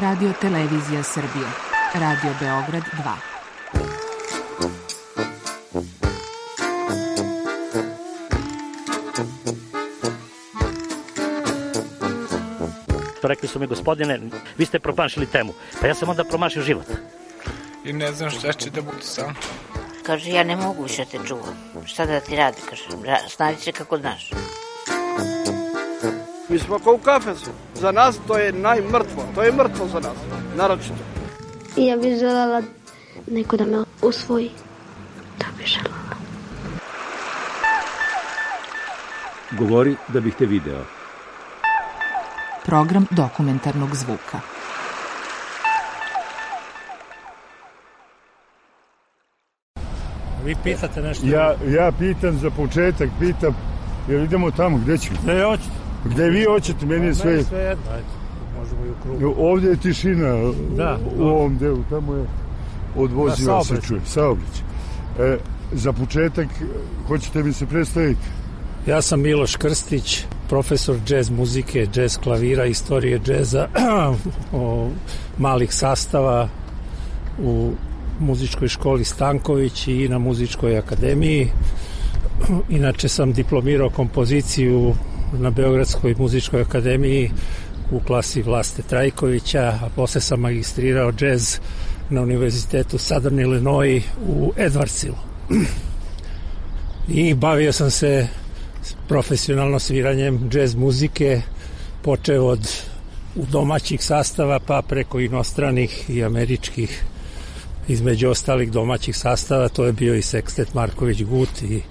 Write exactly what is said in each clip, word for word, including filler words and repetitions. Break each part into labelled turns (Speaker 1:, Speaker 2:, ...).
Speaker 1: Radio Televizija Srbije. Radio Beograd dva.
Speaker 2: Rekli su mi, gospodine, vi ste promašili temu. Pa ja sam onda promašio život.
Speaker 3: I ne znam šta će da bude sam.
Speaker 4: Kaže, ja ne mogu više te čuvam. Šta da ti radi, kaže, snađi se kako znaš.
Speaker 5: Mi smo kao u kafesu. Za nas to je najmrtvo. To je mrtvo za nas, naročito.
Speaker 6: I ja bih želela neko da me usvoji. To bih želela.
Speaker 7: Govori da bih te video.
Speaker 1: Program dokumentarnog zvuka.
Speaker 8: Vi pitate nešto?
Speaker 9: Ja, ja pitam za početak, pitam, jer idemo tamo, gde ću?
Speaker 8: Gde hoćete?
Speaker 9: Gde vi hoćete, meni je sve...
Speaker 8: Meni sve jedno, ajde, možemo i u krugu.
Speaker 9: Ovdje je tišina,
Speaker 8: da,
Speaker 9: u ovom delu, tamo je odvoziva da, se čuje, saobraćaj. E, za početak, hoćete mi se predstaviti?
Speaker 8: Ja sam Miloš Krstić, profesor džez muzike, džez klavira, istorije džeza, malih sastava u muzičkoj školi Stanković i na muzičkoj akademiji. Inače sam diplomirao kompoziciju na Beogradskoj muzičkoj akademiji u klasi Vlaste Trajkovića, a posle sam magistrirao džez na Univerzitetu Southern Illinois u Edwardsilu. I bavio sam se profesionalno sviranjem džez muzike, počeo od domaćih sastava pa preko inostranih i američkih. Između ostalih domaćih sastava to je bio i sekstet Marković Gut i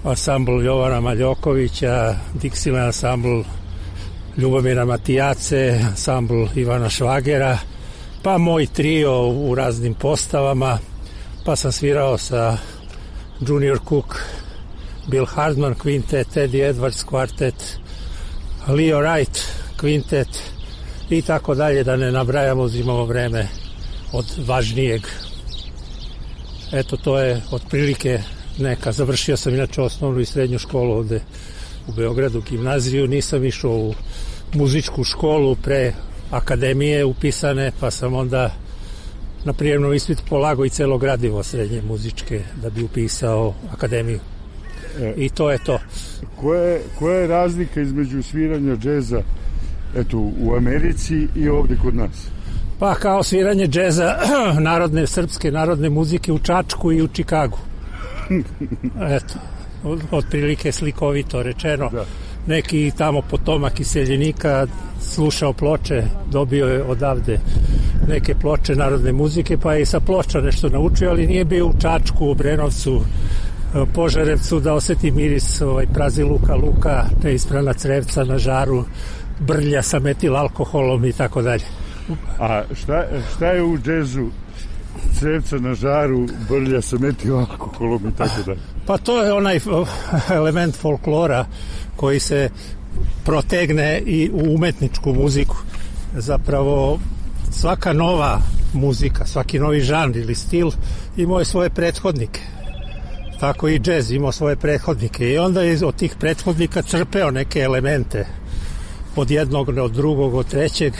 Speaker 8: ansambl Jovana Maljokovića, Dixieland ansambl Ljubomira Matijace, ansambl Ivana Švagera, pa moj trio u raznim postavama, pa sam svirao sa Junior Cook, Bill Hardman kvintet, Teddy Edwards kvartet, Leo Wright kvintet i tako dalje, da ne nabrajamo, uzimamo vreme od važnijeg. Eto, to je otprilike neka. Završio sam inače osnovnu i srednju školu ovde u Beogradu, gimnaziju. Nisam išao u muzičku školu pre akademije upisane, pa sam onda na prijemnom ispitu polagao i celo gradivo srednje muzičke da bi upisao akademiju. E, I to je to.
Speaker 9: Koja je, koja je razlika između sviranja džeza eto, u Americi i ovde kod nas?
Speaker 8: Pa kao sviranje džeza narodne, srpske narodne muzike u Čačku i u Čikagu. Eto, otprilike slikovito rečeno. Da. Neki tamo potomak iseljenika slušao ploče, dobio je odavde neke ploče narodne muzike, pa je i sa ploča nešto naučio, ali nije bio u Čačku, u Brenovcu, Požarevcu da oseti miris ovaj, prazi luka, luka, neisprana crevca na žaru, brlja sa metil alkoholom i tako dalje.
Speaker 9: A šta, šta je u džezu crevca na žaru, brlja sa metil alkoholom i tako dalje?
Speaker 8: Pa to je onaj element folklora koji se protegne i u umetničku muziku. Zapravo svaka nova muzika, svaki novi žanr ili stil imao je svoje prethodnike. Tako i džez imao svoje prethodnike i onda je od tih prethodnika crpeo neke elemente od jednog, od drugog, od trećeg,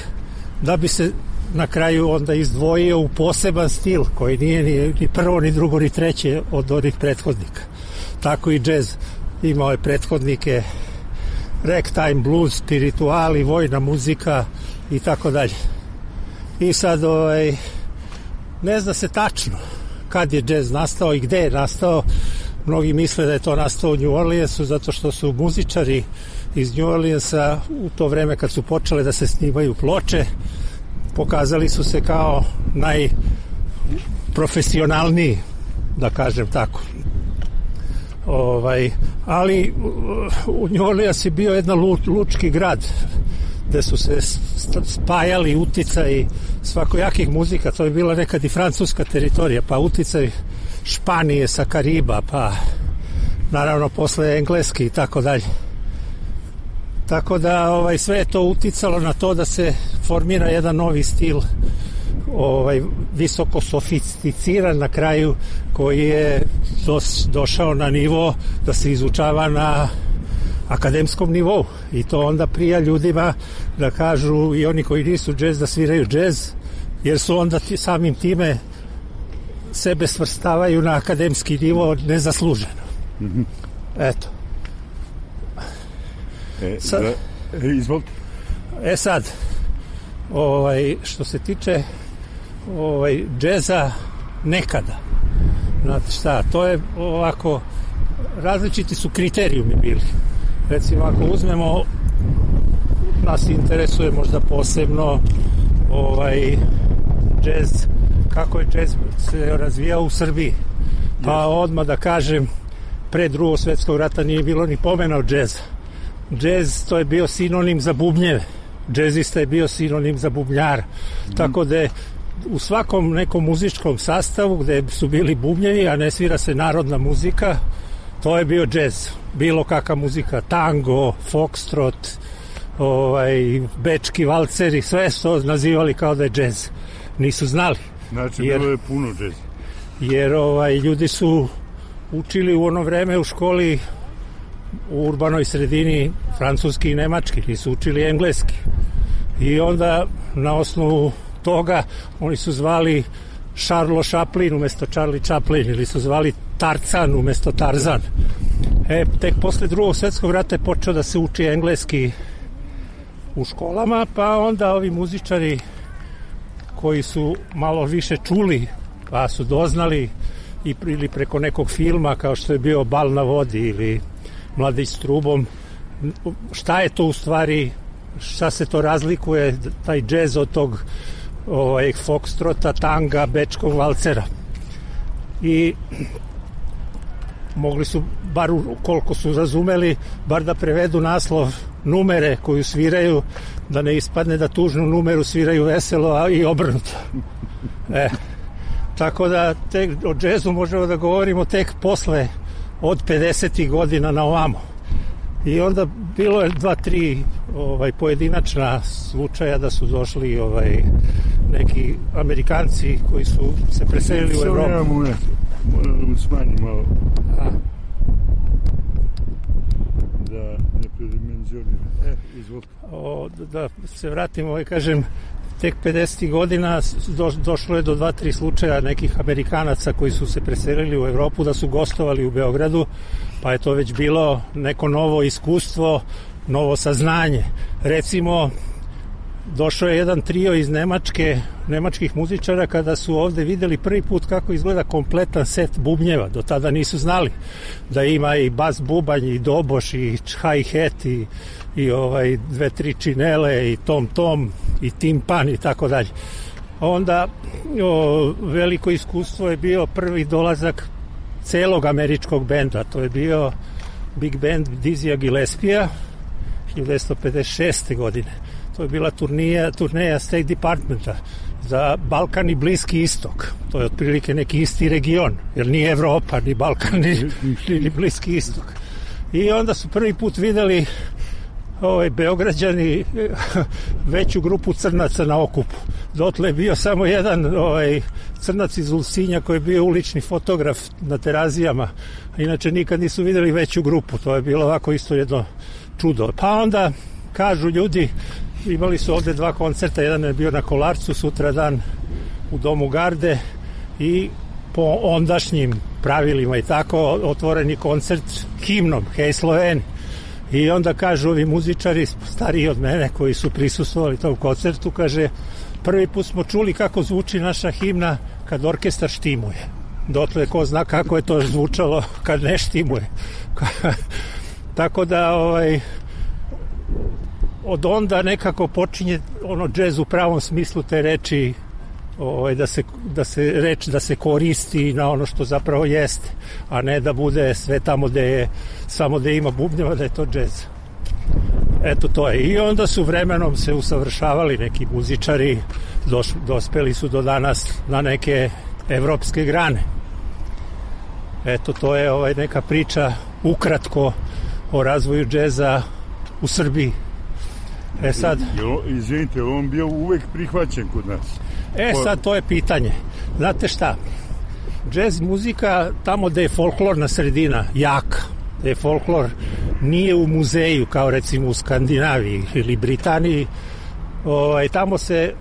Speaker 8: da bi se na kraju onda izdvojio u poseban stil koji nije ni, ni prvo, ni drugo, ni treće od onih prethodnika. Tako i džez imao je prethodnike, ragtime, blues, spirituali, vojna muzika i tako dalje. I sad ovaj, ne zna se tačno kad je džez nastao i gde je nastao. Mnogi misle da je to nastao u New Orleansu zato što su muzičari iz New Orleansa u to vreme kad su počele da se snimaju ploče pokazali su se kao najprofesionalniji, da kažem tako. Ovaj, ali u New Orleans je bio jedan lučki grad gde su se spajali uticaj svakojakih muzika. To je bila nekad i francuska teritorija, pa uticaj Španije sa Kariba, pa naravno posle engleski i tako dalje. Tako da ovaj, sve je to uticalo na to da se formira jedan novi stil, ovaj, visoko sofisticiran na kraju, koji je dos, došao na nivo da se izučava na akademskom nivou i to onda prija ljudima da kažu i oni koji nisu džez da sviraju džez, jer su onda ti, samim time sebe svrstavaju na akademski nivo nezasluženo. Mm-hmm. Eto.
Speaker 9: E, sad, da, e, izvolite.
Speaker 8: E sad, ovaj, što se tiče ovaj, džeza nekada, znate šta, to je ovako, različiti su kriterijumi bili. Recimo, ako uzmemo, nas interesuje možda posebno ovaj, džez, kako je džez se razvijao u Srbiji. Pa odmah da kažem, pre drugog svjetskog rata nije bilo ni pomena o džeza. Džez, to je bio sinonim za bubnjeve. Džezista je bio sinonim za bubnjara. Mm. Tako da je u svakom nekom muzičkom sastavu gde su bili bubnjevi, a ne svira se narodna muzika, to je bio džez. Bilo kakva muzika, tango, foxtrot, ovaj, bečki valceri, sve su nazivali kao da je džez. Nisu znali.
Speaker 9: Znači,
Speaker 8: jer,
Speaker 9: bilo je puno džeza.
Speaker 8: Jer ovaj, ljudi su učili u ono vreme u školi u urbanoj sredini francuski i nemački, nisu učili engleski. I onda na osnovu toga oni su zvali Charles Chaplin umesto Charlie Chaplin ili su zvali Tarzan umesto Tarzan. E, tek posle drugog svjetskog rata je počeo da se uči engleski u školama, pa onda ovi muzičari koji su malo više čuli, pa su doznali i ili preko nekog filma kao što je bio Bal na vodi ili Mladić s trubom, šta je to u stvari, šta se to razlikuje taj džez od tog ovaj, foxtrota, tanga, bečkog valcera. I mogli su, bar koliko su razumeli, bar da prevedu naslov numere koju sviraju, da ne ispadne da tužnu numeru sviraju veselo, a i obrnuto. E, tako da tek o džezu možemo da govorimo tek posle od pedesetih godina na ovamo. I onda bilo je dva, tri ovaj, pojedinačna slučaja da su došli ovaj, neki Amerikanci koji su se preselili u Evropu.
Speaker 9: Samo ja moram da mu smanjim malo. A? Da ne predimenzionira. E, izvolite.
Speaker 8: O, da se vratimo, ovaj, kažem, tek pedesetih godina do, došlo je do dva, tri slučaja nekih Amerikanaca koji su se preselili u Evropu da su gostovali u Beogradu, pa je to već bilo neko novo iskustvo, novo saznanje. Recimo, došao je jedan trio iz Nemačke, nemačkih muzičara kada su ovde videli prvi put kako izgleda kompletan set bubnjeva. Do tada nisu znali da ima i bas bubanj, i doboš, i hi-hat, i, i ovaj, dve, tri činele, i tom-tom, i timpan, i tako dalje. Onda o, veliko iskustvo je bio prvi dolazak celog američkog benda. To je bio Big Band Dizzyja Gillespija hiljadu devetsto pedeset šeste. godine. To je bila turnija, turneja State Departmenta za Balkan i Bliski istok. To je otprilike neki isti region, jer nije Evropa, ni Balkan, ni, ni Bliski istok. I onda su prvi put videli ovaj, Beograđani veću grupu crnaca na okupu. Dotle je bio samo jedan ovaj, crnac iz Ulcinja koji je bio ulični fotograf na Terazijama. Inače nikad nisu videli veću grupu. To je bilo ovako isto jedno čudo. Pa onda kažu ljudi, imali su ovde dva koncerta, jedan je bio na Kolarcu, sutra dan u Domu Garde i po ondašnjim pravilima i tako otvoreni koncert himnom Hej Sloveni. I onda kažu ovi muzičari stariji od mene koji su prisustvovali tom koncertu, kaže, prvi put smo čuli kako zvuči naša himna kad orkestar štimuje. Dotle ko zna kako je to zvučalo kad ne štimuje. Tako da ovaj, od onda nekako počinje ono džez u pravom smislu te reči, ovaj, da se, da se reč da se koristi na ono što zapravo jeste, a ne da bude sve tamo gde je samo da ima bubnjeva da je to džez. Eto to je. I onda su vremenom se usavršavali neki muzičari, doš, dospeli su do danas na neke evropske grane. Eto to je ovaj, neka priča ukratko o razvoju džeza u Srbiji. E sad,
Speaker 9: izvinite, on bio uvek prihvaćen kod nas.
Speaker 8: E sad, to je pitanje. Znate šta? Džez muzika, tamo gde je folklorna sredina jaka, gde je folklor nije u muzeju kao recimo u Skandinaviji ili Britaniji. Ovaj, tamo se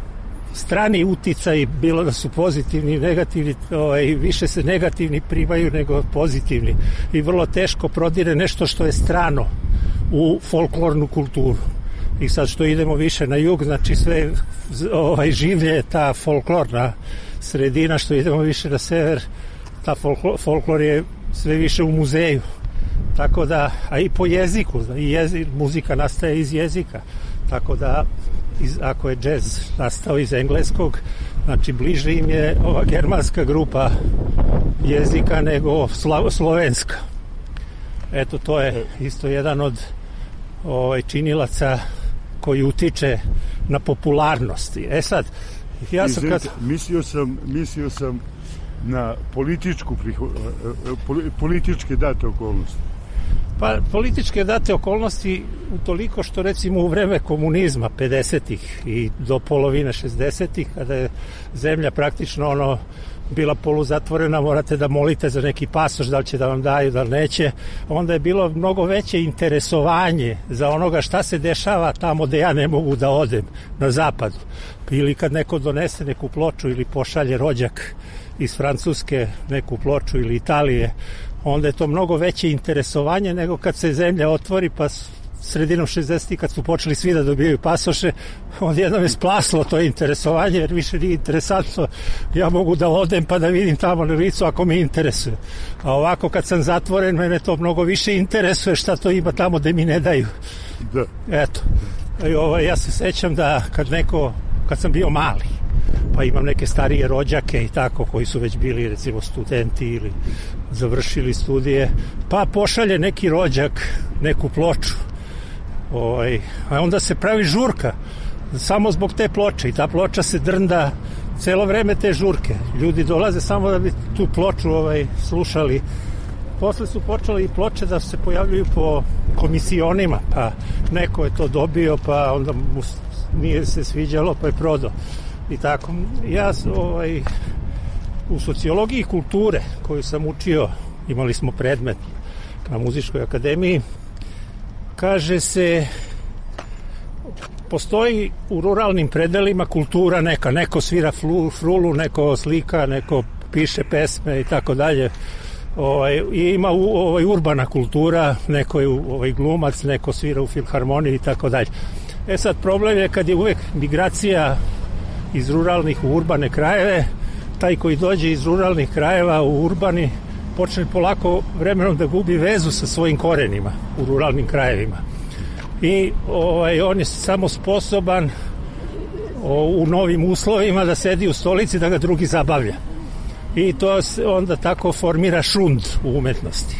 Speaker 8: strani uticaji, bilo da su pozitivni i negativni, ovaj, više se negativni primaju nego pozitivni i vrlo teško prodire nešto što je strano u folklornu kulturu. I sad što idemo više na jug, znači sve ovaj, življe ta folklorna sredina, što idemo više na sever, ta folklor, folklor je sve više u muzeju. Tako da, a i po jeziku, i jezik, muzika nastaje iz jezika, tako da iz, ako je džez nastao iz engleskog, znači bliže im je ova germanska grupa jezika nego sla, slovenska. Eto, to je isto jedan od ovaj, činilaca koji utiče na popularnost. E sad, ja sam kad...
Speaker 9: Mislio sam, mislio sam na političku, političke date okolnosti.
Speaker 8: Pa političke date okolnosti utoliko što recimo u vreme komunizma pedesetih i do polovine šezdesetih, kada je zemlja praktično ono bila poluzatvorena, morate da molite za neki pasoš, da li će da vam daju, da li neće, onda je bilo mnogo veće interesovanje za onoga šta se dešava tamo gde ja ne mogu da odem, na zapadu. Ili kad neko donese neku ploču ili pošalje rođak iz Francuske neku ploču ili Italije, onda je to mnogo veće interesovanje nego kad se zemlja otvori, pa sredinom šezdesetih kad su počeli svi da dobijaju pasoše, onda jednom je splaslo to interesovanje, jer više nije interesantno, ja mogu da odem pa da vidim tamo na licu ako me interesuje. A ovako kad sam zatvoren, mene to mnogo više interesuje šta to ima tamo gde mi ne daju.
Speaker 9: Da.
Speaker 8: Eto. I ovaj, ja se sećam da kad neko, kad sam bio mali, pa imam neke starije rođake i tako koji su već bili recimo studenti ili završili studije, pa pošalje neki rođak neku ploču, ovaj, a onda se pravi žurka samo zbog te ploče i ta ploča se drnda celo vreme te žurke, ljudi dolaze samo da bi tu ploču ovaj, slušali. Posle su počeli i ploče da se pojavljuju po komisionima, pa neko je to dobio, pa onda mu nije se sviđalo, pa je prodao. I tako, ja ovaj, u sociologiji kulture koju sam učio, imali smo predmet na muzičkoj akademiji, kaže se, postoji u ruralnim predelima kultura neka, neko svira flu, frulu, neko slika, neko piše pesme i tako dalje. Ovaj, i ima u, ovaj, urbana kultura, neko je ovaj, glumac, neko svira u filharmoniji i tako dalje. E sad, problem je kad je uvek migracija iz ruralnih u urbane krajeve, taj koji dođe iz ruralnih krajeva u urbani počne polako vremenom da gubi vezu sa svojim korenima u ruralnim krajevima. I ovaj, on je samo sposoban o, u novim uslovima da sedi u stolici da ga drugi zabavlja. I to se onda tako formira šund u umetnosti.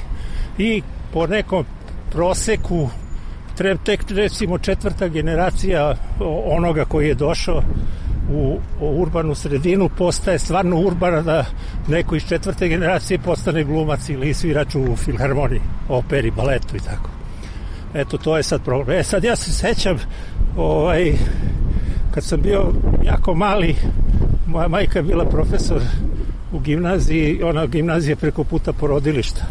Speaker 8: I po nekom proseku tek recimo četvrta generacija onoga koji je došao u urbanu sredinu postaje stvarno urbana, da neko iz četvrte generacije postane glumac ili svirač u filharmoniji, operi, baletu i tako. Eto, to je sad problem. E sad ja se sećam, ovaj, kad sam bio jako mali, moja majka je bila profesor u gimnaziji, ona gimnazija preko puta porodilišta.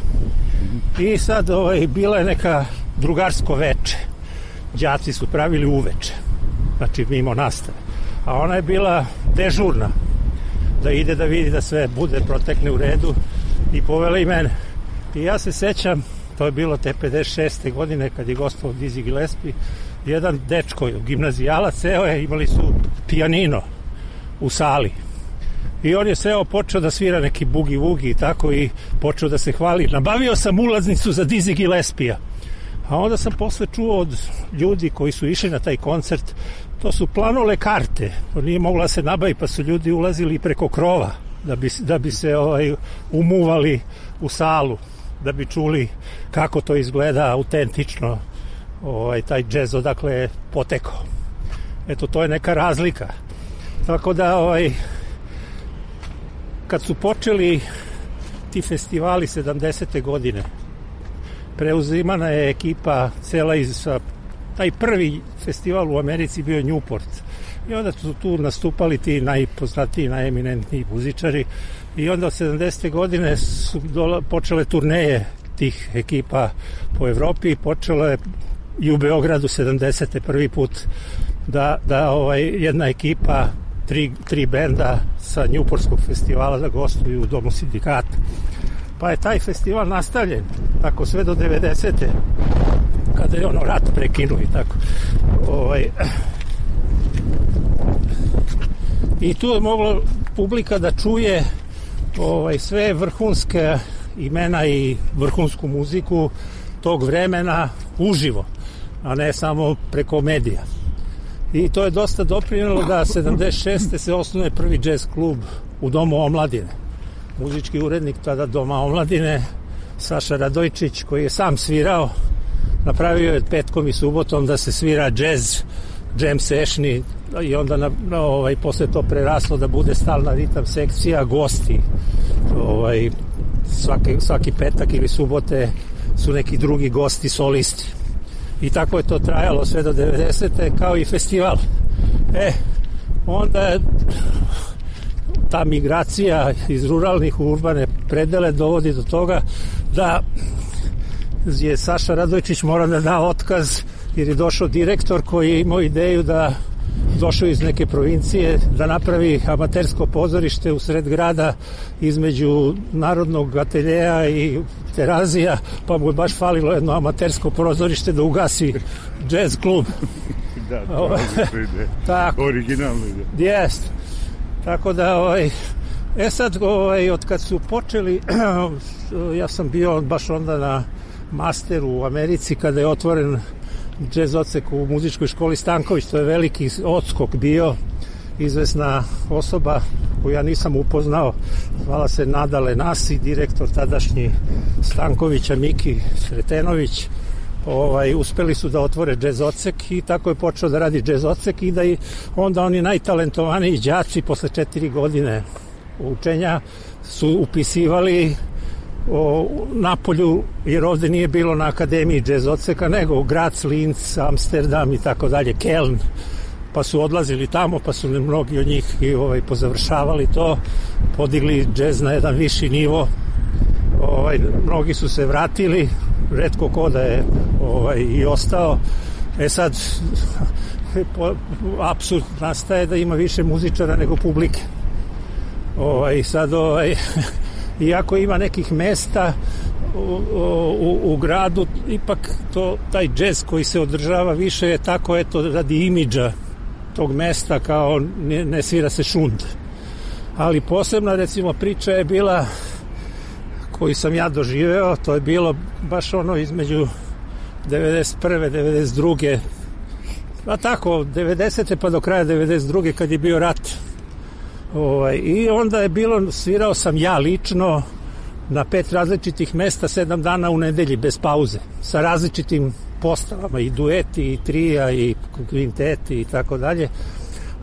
Speaker 8: I sad ovaj, bila je neka drugarsko veče. Đaci su pravili uveče, znači mimo nastave. A ona je bila dežurna, da ide da vidi da sve bude, protekne u redu, i povela i mene. I ja se sećam, to je bilo te pedeset šeste godine kad je gostovao Dizzy Gillespie, jedan dečko, gimnazijalac, seo je, imali su pijanino u sali. I on je seo, počeo da svira neki bugi-vugi i tako, i počeo da se hvali. Nabavio sam ulaznicu za Dizzy Gillespie-a. A onda sam posle čuo od ljudi koji su išli na taj koncert, to su planole karte, to nije mogla se nabavi, pa su ljudi ulazili preko krova da bi, da bi se ovaj, umuvali u salu, da bi čuli kako to izgleda autentično, ovaj, taj džez odakle je potekao. Eto, to je neka razlika. Tako da, ovaj, kad su počeli ti festivali sedamdesete godine, preuzimana je ekipa cela iz... Taj prvi festival u Americi bio Newport. I onda su tu nastupali ti najpoznatiji, najeminentniji muzičari. I onda od sedamdesete godine su dola, počele turneje tih ekipa po Evropi. Počelo je i u Beogradu sedamdesete prvi put da, da ovaj, jedna ekipa, tri, tri benda sa Newportskog festivala da gostuju u Domu sindikata. Pa je taj festival nastavljen tako sve do devedesete kada je ono rat prekinuo i tako. Ovaj, I tu je moglo publika da čuje ovaj, sve vrhunske imena i vrhunsku muziku tog vremena uživo, a ne samo preko medija. I to je dosta doprinelo da sedamdeset šeste se osnuje prvi džez klub u Domu omladine. Muzički urednik tada Doma omladine, Saša Radojčić, koji je sam svirao, napravio je petkom i subotom da se svira džez, jam sessioni, i onda na, na, ovaj, posle to preraslo da bude stalna ritam sekcija, gosti ovaj, svaki, svaki petak ili subote su neki drugi gosti solisti. I tako je to trajalo sve do devedesete kao i festival. E, onda je ta migracija iz ruralnih u urbane predele dovodi do toga da je Saša Radojčić morao da da otkaz jer je došao direktor koji je imao ideju da došao iz neke provincije da napravi amatersko pozorište u sred grada između Narodnog ateljeja i Terazija, pa mu je baš falilo jedno amatersko pozorište da ugasi jazz klub.
Speaker 9: Da, to je ide.
Speaker 8: Tako.
Speaker 9: Originalno ide.
Speaker 8: Jest. Tako da, ovaj, e sad, ovaj, od kad su počeli, ja sam bio baš onda na masteru u Americi kada je otvoren džez odsek u muzičkoj školi Stanković. To je veliki odskok bio, izvesna osoba koju ja nisam upoznao, zvala se Nada Lenasi, direktor tadašnji Stankovića, Miki Sretenović. Ovaj, uspeli su da otvore džez odsek i tako je počeo da radi džez odsek i da i onda oni najtalentovaniji đaci posle četiri godine učenja su upisivali o Napolju, jer ovde nije bilo na akademiji džez odseka, nego u Graz, Linz, Amsterdam i tako dalje, Keln, pa su odlazili tamo, pa su mnogi od njih i ovaj, pozavršavali to, podigli džez na jedan viši nivo. Ovaj, mnogi su se vratili, retko ko da je ovaj, i ostao. E sad, apsurd nastaje da ima više muzičara nego publike. Ovaj, sad, ovaj, iako ima nekih mesta u, u, u gradu, ipak to, taj džez koji se održava više je tako, eto, radi imidža tog mesta, kao ne, ne svira se šund. Ali posebna, recimo, priča je bila koju sam ja doživeo, to je bilo baš ono između devedeset prve devedeset druge pa tako, devedesete pa do kraja devedeset druge kad je bio rat. Ovaj, i onda je bilo, svirao sam ja lično na pet različitih mesta, sedam dana u nedelji, bez pauze, sa različitim postavama, i dueti, i trija, i kvinteti, i tako dalje.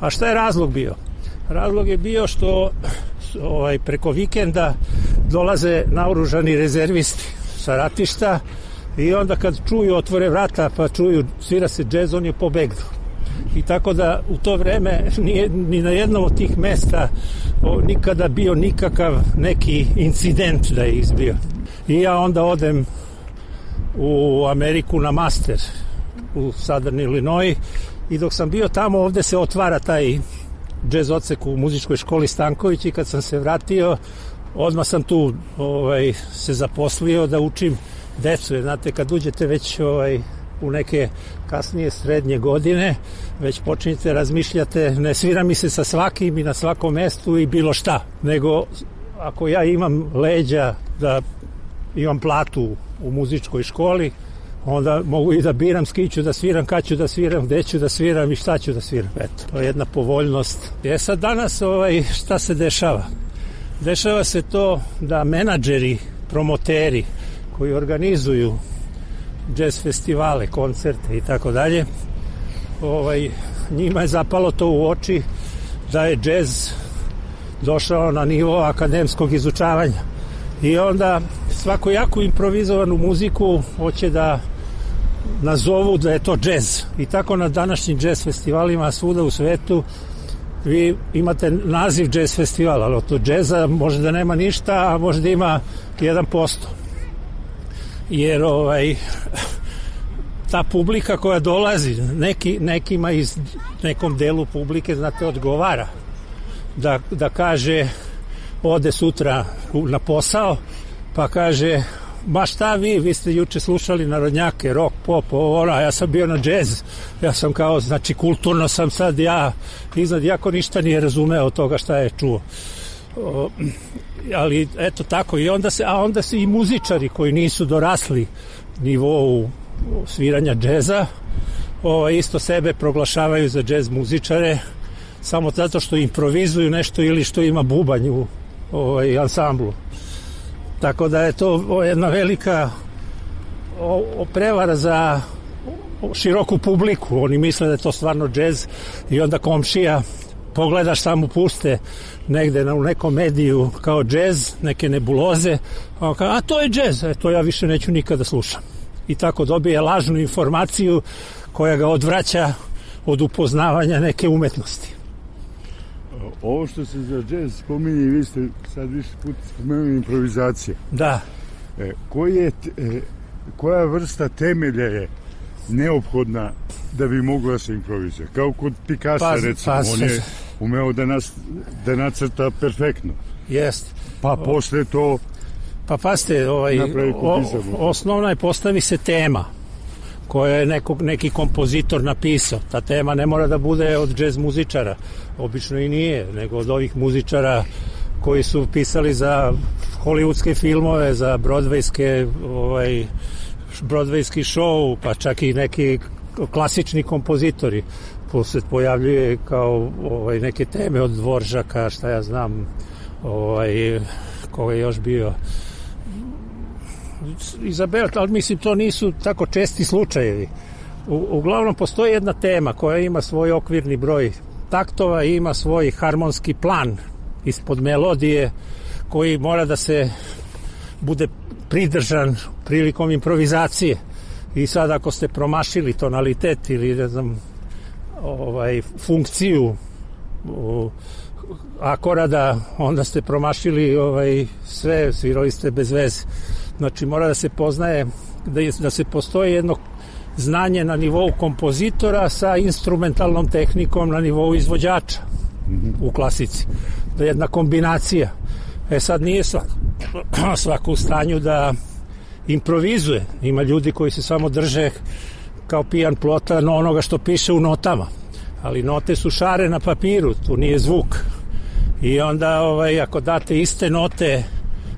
Speaker 8: A šta je razlog bio? Razlog je bio što ovaj, preko vikenda dolaze naoružani rezervisti sa ratišta i onda kad čuju, otvore vrata pa čuju svira se džez, on je pobegnu. I tako da u to vreme nije ni na jednom od tih mesta o, nikada bio nikakav neki incident da je izbio. I ja onda odem u Ameriku na master u Southern Illinois i dok sam bio tamo, ovde se otvara taj džez odsek u muzičkoj školi Stanković i kad sam se vratio, odmah sam tu ovaj, se zaposlio da učim decu, jer znate, kad uđete već ovaj, u neke kasnije srednje godine, već počinjete razmišljate, ne svira mi se sa svakim i na svakom mestu i bilo šta, nego ako ja imam leđa da imam platu u muzičkoj školi, onda mogu i da biram s kim ću da sviram, kad ću da sviram, gde ću da sviram i šta ću da sviram. Eto, to je jedna povoljnost. E sad danas ovaj, šta se dešava? Dešava se to da menadžeri, promoteri koji organizuju džez festivale, koncerte i tako dalje, ovaj, njima je zapalo to u oči da je džez došao na nivo akademskog izučavanja. I onda svako jako improvizovanu muziku hoće da nazovu da je to džez. I tako na današnjim džez festivalima svuda u svetu vi imate naziv džez festivala, ali od džeza može da nema ništa, a može da ima jedan posto. jer ovaj ta publika koja dolazi, neki, nekima iz nekom delu publike, znate, odgovara da, da kaže, ode sutra na posao, pa kaže, ma šta vi, vi ste juče slušali narodnjake, rock, pop, ovo, ono, ja sam bio na džez, ja sam kao, znači, kulturno sam sad ja, iznad, jako ništa nije razumeo od toga šta je čuo. O, ali, eto tako, i onda se, a onda se i muzičari koji nisu dorasli nivou sviranja džeza, o, isto sebe proglašavaju za džez muzičare, samo zato što improvizuju nešto ili što ima bubanj u ovaj, ansamblu. Tako da je to o, jedna velika o, o prevara za o, široku publiku. Oni misle da je to stvarno džez i onda komšija pogledaš, samo puste negde na, u nekom mediju kao džez, neke nebuloze, a, kao, a to je džez, e, to ja više neću nikada slušam. I tako dobije lažnu informaciju koja ga odvraća od upoznavanja neke umetnosti.
Speaker 9: Ovo što se za džez spominje, vi ste sad više put spomenuli improvizacija.
Speaker 8: Da.
Speaker 9: E, koji je, e, koja vrsta temelja je neophodna da bi mogla da se improvizuje? Kao kod Picasso, pa, recimo, pa, on je umeo da, nas, da nacrta perfektno.
Speaker 8: Jest.
Speaker 9: Pa posle to
Speaker 8: pa paste, ovaj, o, osnovna je, postavi se tema koja je nekog, neki kompozitor napisao. Ta tema ne mora da bude od džez muzičara, obično i nije, nego od ovih muzičara koji su pisali za hollywoodske filmove, za broadwayske ovaj, broadwayski show, pa čak i neki klasični kompozitori. Se pojavljuje kao ovaj, neke teme od Dvoržaka, šta ja znam, ovaj, ko je još bio Izabela, ali mislim to nisu tako česti slučajevi. U, uglavnom postoji jedna tema koja ima svoj okvirni broj taktova i ima svoj harmonski plan ispod melodije koji mora da se bude pridržan prilikom improvizacije. I sad ako ste promašili tonalitet ili ne znam ovaj, funkciju o, akorada, onda ste promašili ovaj, sve, svirali ste bez veze. Znači mora da se poznaje, da, je, da se postoji jedno znanje na nivou kompozitora sa instrumentalnom tehnikom na nivou izvođača u klasici. Da je jedna kombinacija. E sad nije svako, svako u stanju da improvizuje. Ima ljudi koji se samo drže kao pijan plota na onoga što piše u notama. Ali note su šare na papiru, tu nije zvuk. I onda ovaj, ako date iste note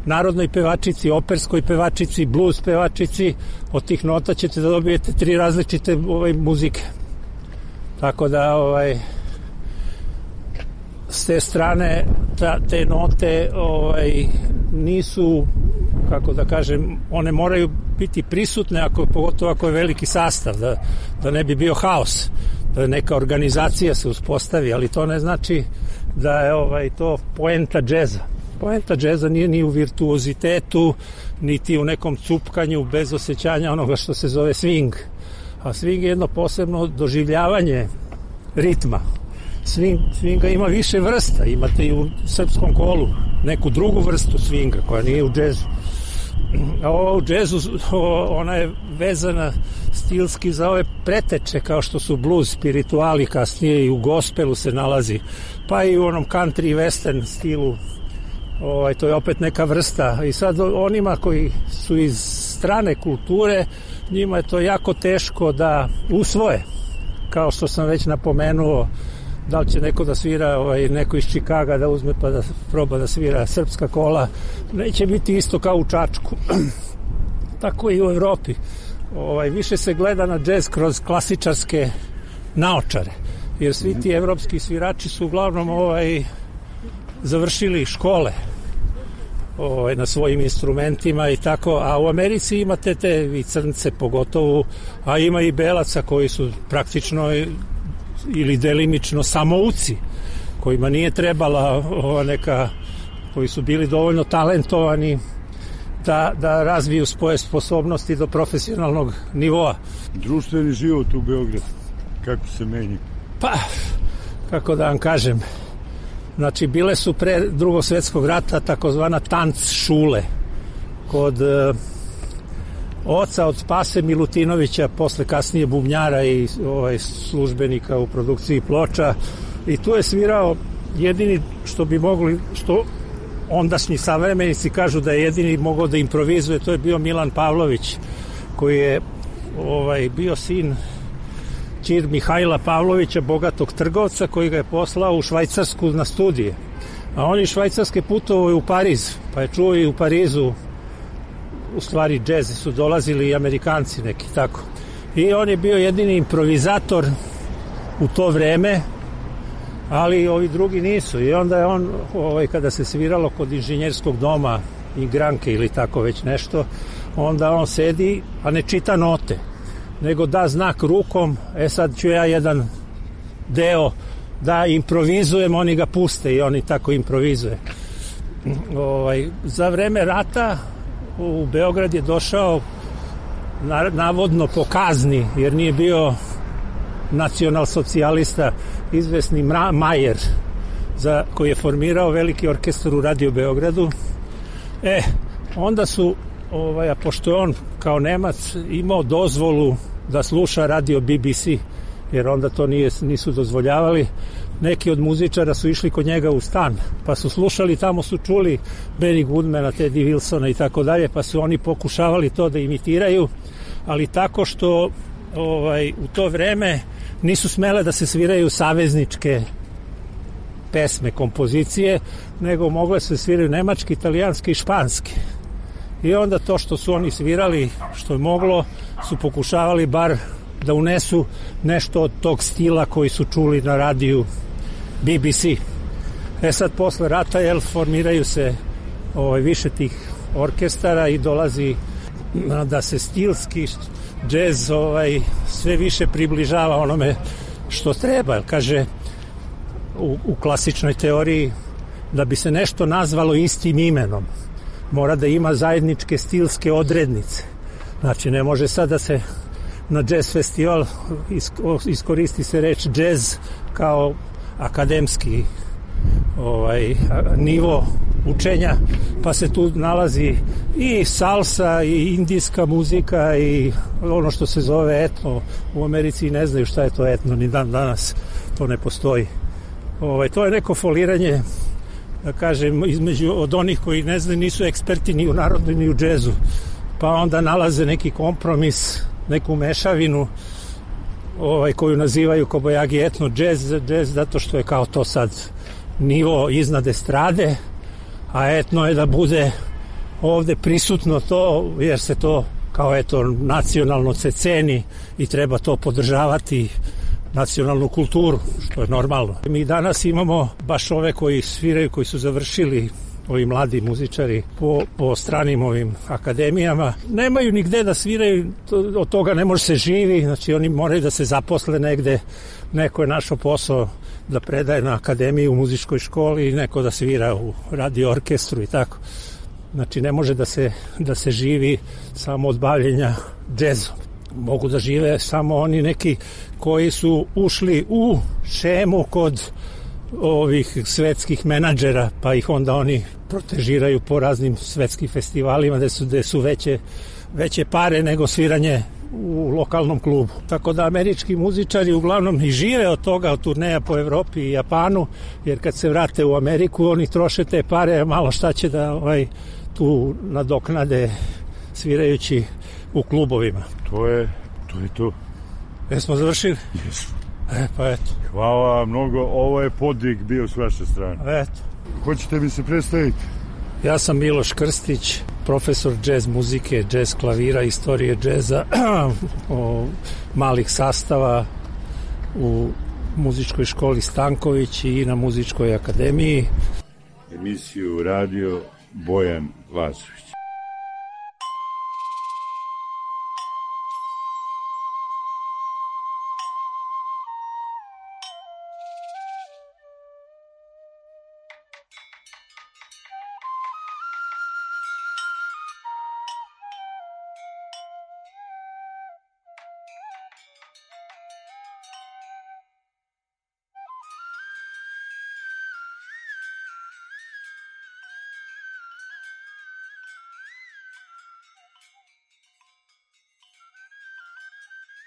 Speaker 8: narodnoj pevačici, operskoj pevačici, blues pevačici, od tih nota ćete da dobijete tri različite ovaj, muzike. Tako da ovaj, s te strane ta, te note ovaj, nisu, kako da kažem, one moraju biti prisutne, ako, pogotovo ako je veliki sastav, da, da ne bi bio haos, da neka organizacija se uspostavi, ali to ne znači da je ovaj, to poenta džeza. Poenta džeza nije ni u virtuozitetu, niti u nekom cupkanju bez osjećanja onoga što se zove swing. A swing je jedno posebno doživljavanje ritma. Swing, swinga ima više vrsta, imate i u srpskom kolu neku drugu vrstu swinga koja nije u džezu. A ovo u džezu, ona je vezana stilski za ove preteče kao što su blues, spirituali, kasnije i u gospelu se nalazi, pa i u onom country i western stilu. Ovaj, to je opet neka vrsta i sad onima koji su iz strane kulture, njima je to jako teško da usvoje, kao što sam već napomenuo, da li će neko da svira, ovaj, neko iz Čikaga da uzme pa da proba da svira srpska kola, neće biti isto kao u Čačku. Tako i u Evropi. Ovaj, više se gleda na džez kroz klasičarske naočare, jer svi ti evropski svirači su uglavnom ovaj, završili škole ovaj, na svojim instrumentima i tako, a u Americi imate te i crnce pogotovo, a ima i belaca koji su praktično ili delimično samouci, kojima nije trebala ova neka, koji su bili dovoljno talentovani da, da razviju svoje sposobnosti do profesionalnog nivoa.
Speaker 9: Društveni život u Beogradu, kako se meni?
Speaker 8: Pa, kako da vam kažem, znači bile su pre Drugog svjetskog rata takozvana tanc šule kod oca od Pase Milutinovića, posle kasnije bubnjara i ovaj, službenika u produkciji ploča, i tu je svirao jedini što bi mogli, što ondašnji savremenici kažu da je jedini mogao da improvizuje, to je bio Milan Pavlović, koji je ovaj, bio sin ćir Mihajla Pavlovića, bogatog trgovca, koji ga je poslao u Švajcarsku na studije. A oni švajcarske putovao u Pariz, pa je čuo i u Parizu, u stvari džez su dolazili i Amerikanci neki, tako. I on je bio jedini improvizator u to vreme, ali ovi drugi nisu. I onda je on, ovaj, kada se sviralo kod inženjerskog doma i Granke ili tako već nešto, onda on sedi, a ne čita note, nego da znak rukom, e sad ću ja jedan deo da improvizujem, oni ga puste i oni tako improvizuje. Ovaj, za vreme rata u Beograd je došao navodno po kazni, jer nije bio nacionalsocijalista, izvesni Majer, za, koji je formirao veliki orkestar u Radio Beogradu. E, onda su, ovaj, a pošto je on kao Nemac imao dozvolu da sluša radio B B C, jer onda to nije, nisu dozvoljavali, neki od muzičara su išli kod njega u stan, pa su slušali, tamo su čuli Benny Goodmana, Teddy Wilsona i tako dalje, pa su oni pokušavali to da imitiraju, ali tako što ovaj, u to vreme nisu smele da se sviraju savezničke pesme, kompozicije, nego mogle se sviraju nemački, italijanski i španski. I onda to što su oni svirali, što je moglo, su pokušavali bar da unesu nešto od tog stila koji su čuli na radiju B B C. E sad, posle rata, jel, formiraju se ovaj, više tih orkestara i dolazi da se stilski džez ovaj, sve više približava onome što treba. Kaže, u, u klasičnoj teoriji, da bi se nešto nazvalo istim imenom, mora da ima zajedničke stilske odrednice. Znači, ne može sad da se na jazz festival iskoristi se reč jazz kao akademski ovaj, nivo učenja, pa se tu nalazi i salsa i indijska muzika i ono što se zove etno. U Americi ne znaju šta je to etno, ni dan danas to ne postoji. Ovaj, to je neko foliranje, da kažem, između od onih koji ne znaju, nisu eksperti ni u narodu ni u džezu, pa onda nalaze neki kompromis, neku mešavinu ovaj, koju nazivaju kobajagi etno džez, džez zato što je kao to sad nivo iznad estrade, a etno je da bude ovde prisutno to, jer se to kao eto nacionalno se ceni i treba to podržavati, nacionalnu kulturu, što je normalno. Mi danas imamo baš ove koji sviraju, koji su završili, ovi mladi muzičari po, po stranim ovim akademijama, nemaju nigde da sviraju, to, od toga ne može se živi, znači oni moraju da se zaposle negde, neko je našao posao da predaje na akademiji u muzičkoj školi i neko da svira u radio orkestru i tako. Znači ne može da se, da se živi samo od bavljenja džezom. Mogu da žive samo oni neki koji su ušli u šemu kod ovih svetskih menadžera, pa ih onda oni protežiraju po raznim svetskim festivalima gde su, gde su veće, veće pare nego sviranje u lokalnom klubu. Tako da američki muzičari uglavnom i žive od toga, od turneja po Evropi i Japanu, jer kad se vrate u Ameriku oni troše te pare, malo šta će da ovaj, tu nadoknade svirajući u klubovima.
Speaker 9: To je, to je to.
Speaker 8: Jesmo završili?
Speaker 9: Jesmo.
Speaker 8: E, pa eto.
Speaker 9: Hvala mnogo, ovo je podvig bio s vaše strane.
Speaker 8: Eto.
Speaker 9: Hoćete mi se predstaviti?
Speaker 8: Ja sam Miloš Krstić, profesor džez muzike, džez klavira, istorije džeza, malih sastava u muzičkoj školi Stanković i na muzičkoj akademiji.
Speaker 9: Emisiju radio Bojan Vasović.